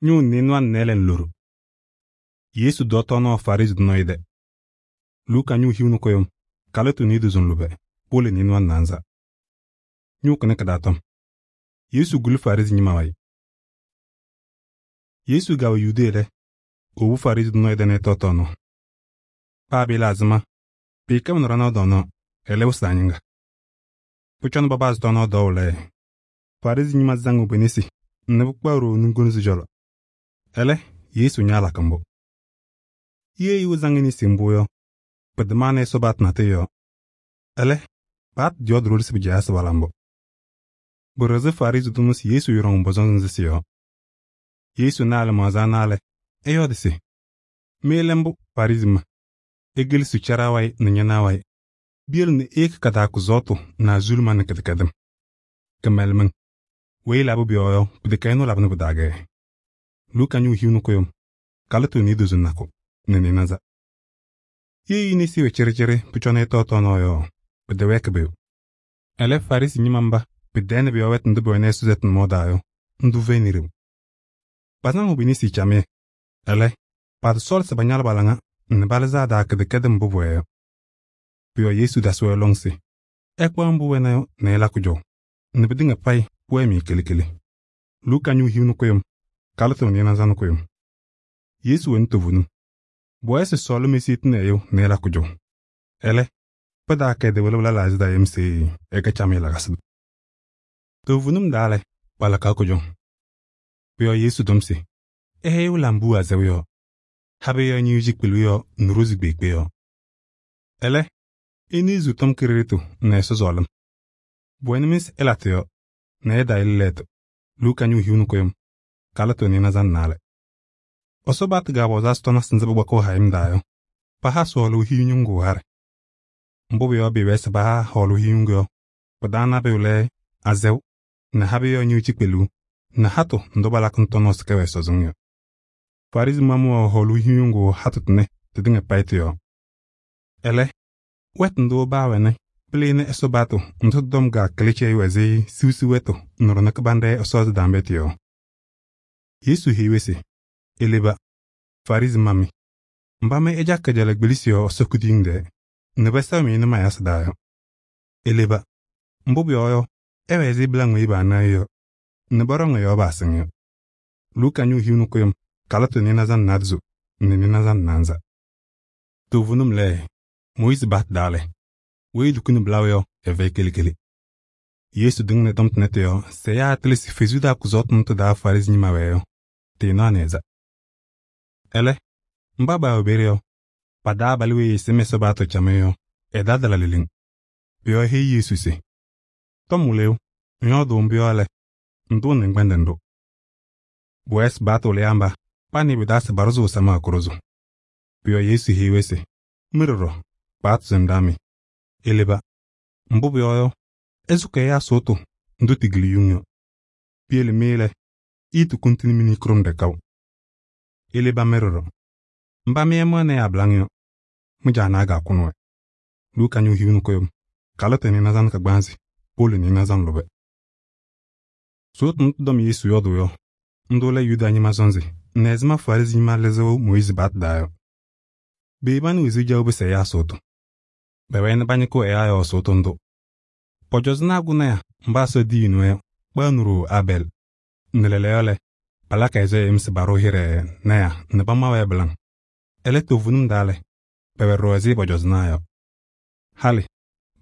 Ñʋʋ nɩɩnʋwa nɩɩlɛ loɖo. Yesu dɔ tɔɔnaɣ Farɩsɩ tʋ nɔɔyʋ tɛ. Luka ñʋʋ hiu nɛ kʋyʋm, kalɩtʋ niidozo lʋbɛ, powolo nɩɩnʋwa naanza. Ñʋʋ kɩnɛ kɩ-taa tɔm. Yesu guli Farɩsɩ ñɩma wayɩ. Yesu kɛwɛ Yudee lɛ, ewobi Farɩsɩ tʋ nɔɔyʋ tɛ nɛ ɛtɔɔ tɔɔnaɣ. Paa pɩɩla ɛzɩma, pɩɩkɛɣnɩ ɖanaɣ tɔɔnaɣ, ɛlɛ wɩsɩ aa-ñɩŋga. Pʋcɔ nɛ papazɩ tɔɔnaɣ tɔɔʋ lɛ, Farɩsɩ ñɩma zaŋ pe-nesi nɛ pɩkpaɣ ɖooo nunkunzi cɔlɔ. Ɛlɛ, Yesu ñaalakɩ mbʋ. Ye ɛyʋ ɛzaŋ e-nesi mbʋ yɔ, pɩtɩmaɣnɩ Ɛsɔ paɣtʋ natʋyʋ yɔɔ. Ɛlɛ, paɣtʋ yɔɔdɩ ɖoli se pɩjaɣyɩ se pala mbʋ. Pɩɖɩɣzɩ Farɩsɩ tʋ ɛnʋ se Yesu yɔɖɔŋ pɔ-sɔnzɩ nzɩ yɔɔ. Yesu na ɛ-lɩmaɣza ana lɛ, ɛyɔɔdɩ se: mɩ lɛ mbʋ Farɩsɩ ñɩma, igelesi caɖaa wayɩ nɛ ñanaɣ wayɩ. Piyele nɛ iyeki ka-taa kʋsɔɔtʋ nɛ azuluma nɛ kɩdɛkɛdɩm. Kɩmɛlɛmɩŋ, weyi labɩ pʋ-yɔɔ yɔ, pɩtɛkɛ ɛnʋ labɩnɩ pɩ-taa. Luka ñʋʋ hiu nɛ kʋyʋm, kalɩtʋ niidozo nakʋ nɛ nɩɩnaza. Ye e-nesi wɛ cɩɖɩcɩɖɩ pʋcɔ nɛ ɛtɔɔ tɔɔnaɣ yɔ, pɩtɛwɛɛkɩ pʋyʋ. Ɛlɛ, Farɩsɩ ñɩma mba pɩ-tɛɛ nɛ pʋ-yɔɔ wɛtʋ ndʋ pʋwɛnɩ Ɛsɔ sɛtʋ nʋmɔʋ taa yɔ, ndʋ fɛyɩnɩ ɖeu. Pazaŋʋʋ pe-nesi camɩyɛ. Ɛlɛ, patasɔɔlɩ se pañalɩ pa-laŋa nɛ palɩzɩ a-taa kɩdɛkɛdɩm mbʋ pʋwɛɛ yɔ. Pʋ-yɔɔ Yesu tasɩ-wɛ lɔŋ se ɛkpaɣ mbʋ wɛna yɔ nɛ ɛla kʋjɔʋ, nɛ pɩtɩŋa payɩ pʋwɛɛ-mɩ kele. Luka ñʋʋ hiu nɛ kʋyʋm, kalɩtʋ nɩɩnaza nɛ kʋyʋm. Yesu wɛnɩ toovenim. Pʋwɛɛ se sɔɔlɩm esiyetini ɛyʋ nɛ ɛla kʋjɔʋ. Ɛlɛ, pɩtaakɛ ɛ-tɩ laɣzadaa yem se ɛkɛ camɩyɛ lakasɩ. Toovenim daa lɛ, palakaɣ kʋjɔŋ. Pʋ-yɔɔ Yesu tɔm se ɛyʋ la mbʋ azɛʋ yɔ, habɩ yɔ ñɩyʋ cikpelu yɔ nɛ rozi kpeekpe yɔ. Ɛlɛ, ɩnɩɩ tɔm kɩɖɩɖɩtʋ nɛ Ɛsɔ sɔɔlɩm. Pʋwɛnɩ-mɩ se ɩlatɩ yɔ nɛ ɩtayɩlɩ lɛɛtʋ. Luka ñʋʋ hiu nɛ kʋyʋm, kalɩtʋ nɩɩnaza nɛ naalɛ. Ɛsɔ paɣtʋ ga-apɔzaa sɩtɔnasɩ nzɩ pʋkpakɩɣ hayɩm daa yɔ, paha sɔɔlʋʋ hiu ñʋŋgʋ harɩ. Mbʋ pʋ-yɔɔ bɩɩwɛɛ se paha hɔɔlʋʋ hiu ñʋŋgʋ yɔ, pɩ-taa nabʋyʋ lɛ azɛʋ nɛ habɩ yɔ ñɩyʋ cikpeluu nɛ hatʋ ndʋ palakɩ nɛ tɔnɔɔ sɩ kɛwɛ ɛsɔzɩŋ yɔ. Farɩsɩ ñɩma mʋ wɛ hɔɔlʋʋ hiu ñʋŋgʋ hatʋ tʋnɛ tɩtɩŋa payɩ tɩ-yɔɔ. Ɛlɛ, wɛtʋ ndʋ baawɛnɩ pɩlɩnɩ Ɛsɔ paɣtʋ ndʋ tɩ-tɔm ga-kɩlɩ cɛyɩ ɛzɩ siwsi wɛtʋ nɛ ɖɔnɛ kɩbanɖɛ Ɛsɔ ɛsɩdambɛ tɩ-yɔɔ. Yesu heyi-wɛ se ileba, Farɩsɩ ñɩma mɩ, mba mɩ ɩjakɩ kajala kpelisi yɔ Ɛsɔ kuduyiŋ tɛɛ nɛ pɛsɛɣ-mɩ nɛ mayasɩ daa yɔ. Ileba, mbʋ pʋyɔɔ yɔ, ɛwɛ ɛzɩ bɩlaŋ weyi paanaɣ yɔ nɛ bɔɖɔŋ ɛ-yɔɔ paasɩŋ yɔ. Luka ñʋʋ hiu nɛ kʋyʋm, kalɩtʋ nɩɩnaza nɛ naadozo nɛ nɩɩnaza nɛ naanza. Toovenim lɛ, Mooyiizi paɣtʋ daa lɛ, weyi lukuni bɩlaʋ yɔ, ɛfɛyɩ kele. Yesu tɩŋnɩ tɔm tʋnɛ tɩ-yɔɔ se ɛyaa atɩlɩ se Fesu taa kʋsɔɔtʋ ndʋ tɩ-taa Farɩsɩ ñɩma wɛɛ yɔ, tɩɩnaɣnɩ ɛza. Ɛlɛ, mba baawɛ peeye yɔ, pa-taa abalʋ weyi ɛsɩm Ɛsɔ paɣtʋ camɩyɛ yɔ, ɛdadɩla leleŋ. Pʋ-yɔɔ eheyi Yesu se: tɔm wɩlɩyʋ, ŋyɔɔdʋʋ mbʋ yɔ lɛ, ŋtʋʋnɩ ŋkpɛndɛ ndʋ. Pʋwɛɛ se paɣtʋ wɩlɩyaa mba panɩ pɩ-taa se paɖʋzʋʋ samaɣ kʋɖʋzʋ. Pʋ-yɔɔ Yesu heyi-wɛ se mɩ ɖɔɖɔ, paɣtʋ sɩndaa mɩ, ileba. Mbʋ pʋyɔɔ yɔ, ɩsʋkɩ ɛyaa sʋʋtʋ ndʋ tigili yuŋ yɔ. Piyele mɩ lɛ, iitukuntini mini kʋrʋmɖɛ kaʋ. Ileba mɩ ɖɔɖɔ. Mba mɩ ɩmɩɣnɩ abɩlaŋ yɔ, mɩ-Jaanaa ga-kʋnɩ-wɛ. Luka ñʋʋ hiu nɛ kʋyʋm, kalɩtʋ nɩɩnaza nɛ kagbaanzɩ, powolo nɩɩnaza nɛ lʋbɛ. Sʋʋtʋ ndʋ tɩ-tɔm Yesu yɔɔdʋʋ yɔ, ndʋ lɛ Yuda ñɩma sɔnzɩ nɛ ɛzɩma Farɩsɩ ñɩma lɩzɩɣ Mooyiizi paɣtʋ daa yɔ. Beebanɩ wezuu jaw pɩsɩ ɛyaa sʋʋtʋ. Pɛwɛɛ nɛ pañɩkɩɣ ɛyaa yɔɔ sʋʋtʋ ndʋ. Pɔjɔzɩnaa kʋnɔya mba Ɛsɔ diyini-wɛ yɔ, kpaɣnɩ ɖooo Abɛɛl. Nɛ lɛɛlɛɛyɔ lɛ, palakɩ ɛzɩ yem se paɖʋ hɩɖɛ naya nɛ pama-wɛ bɩlaŋ. Ɛlɛ, toovenim daa lɛ, pɛwɛ ɖɔɖɔ ɛzɩ pɔjɔzɩnaa yɔ. Halɩ,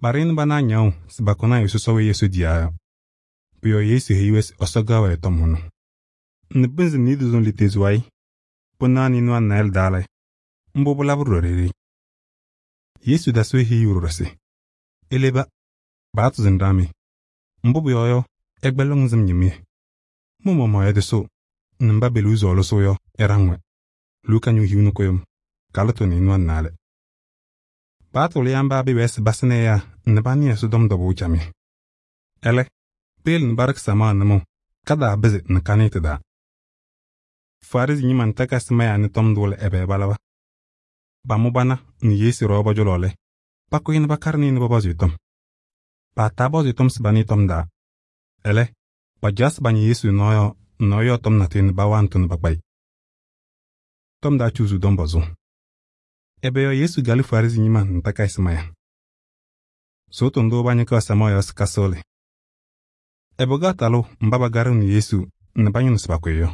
paɖɩɣnɩ bana ñaŋʋ se pakɔnɩ a sɔsɔ weyi Ɛsɔ diyaa yɔ. Pʋ-yɔɔ Yesu heyi-wɛ se Ɛsɔ gaɣ-wɛ tɔm hʋnʋ. Nɛ pɩnzɩ niidozo litezu wayɩ, pʋnaɣ nɩɩnʋwa nɛ naayɩlɛ daa lɛ, mbʋ pɩlabɩ ɖɔɖɔ ɖeɖe. Yesu tasɩ-wɛ heyuu ɖɔɖɔ se ileba, paɣtʋ sɩndaa mɩ, mbʋ pʋyɔɔ yɔ, ɩkpɛlɩŋ ŋsɩm ñɩmɩyɛ. Mɩ-maɣmaɣ ɩdɩsʋʋ nɛ mba beluu sɔɔlɩsʋʋ yɔ, ɩɖaŋ-wɛ. Luka ñʋʋ hiu nɛ kʋyʋm, kalɩtʋ nɩɩnʋwa nɛ naalɛ. Paɣtʋ wɩlɩyaa mba bɩɩwɛɛ se basɩnɩ ɛyaa nɛ panɩ Ɛsɔtɔm tɔbʋʋ camɩyɛ. Ɛlɛ, peyele nɛ paɖɩkɩ samaɣ nʋmɔʋ, kadaabɩzɩ nɛ kanɩɩ tɩ-taa. Farɩsɩ ñɩma nɛ takasɩ mayaa nɩ tɔm ndʋ lɛ ɛbɛ balaba. Pamʋ bana nɛ Yesu ɖɔɔ pɔ-cɔlɔ lɛ, pakʋyɩ nɛ pakarɩ-nɩ nɛ pɔpɔzɩ tɔm. Paataa pɔzɩ tɔm se panɩɩ tɔm daa. Ɛlɛ, pajaɣ se pañɩ Yesu nɔɔ yɔ nɔɔ yɔɔ tɔm natʋyʋ nɛ pawaa ntʋ nɛ pakpa-ɩ. Tɔm taa cuuzuu tɔm pɔzʋʋ. Ɛbɛ yɔɔ Yesu kalɩ Farɩsɩ ñɩma nɛ takayɩsɩ maya? Sʋʋtʋ ndʋ pañɩkaɣ samaɣ yɔɔ se kasɩɣlɩ. Ɛbɛ kɛɣ talʋ mba pakaɖɩɣnɩ Yesu nɛ pañɩnɩɣ se pakʋ-ɩ yɔ?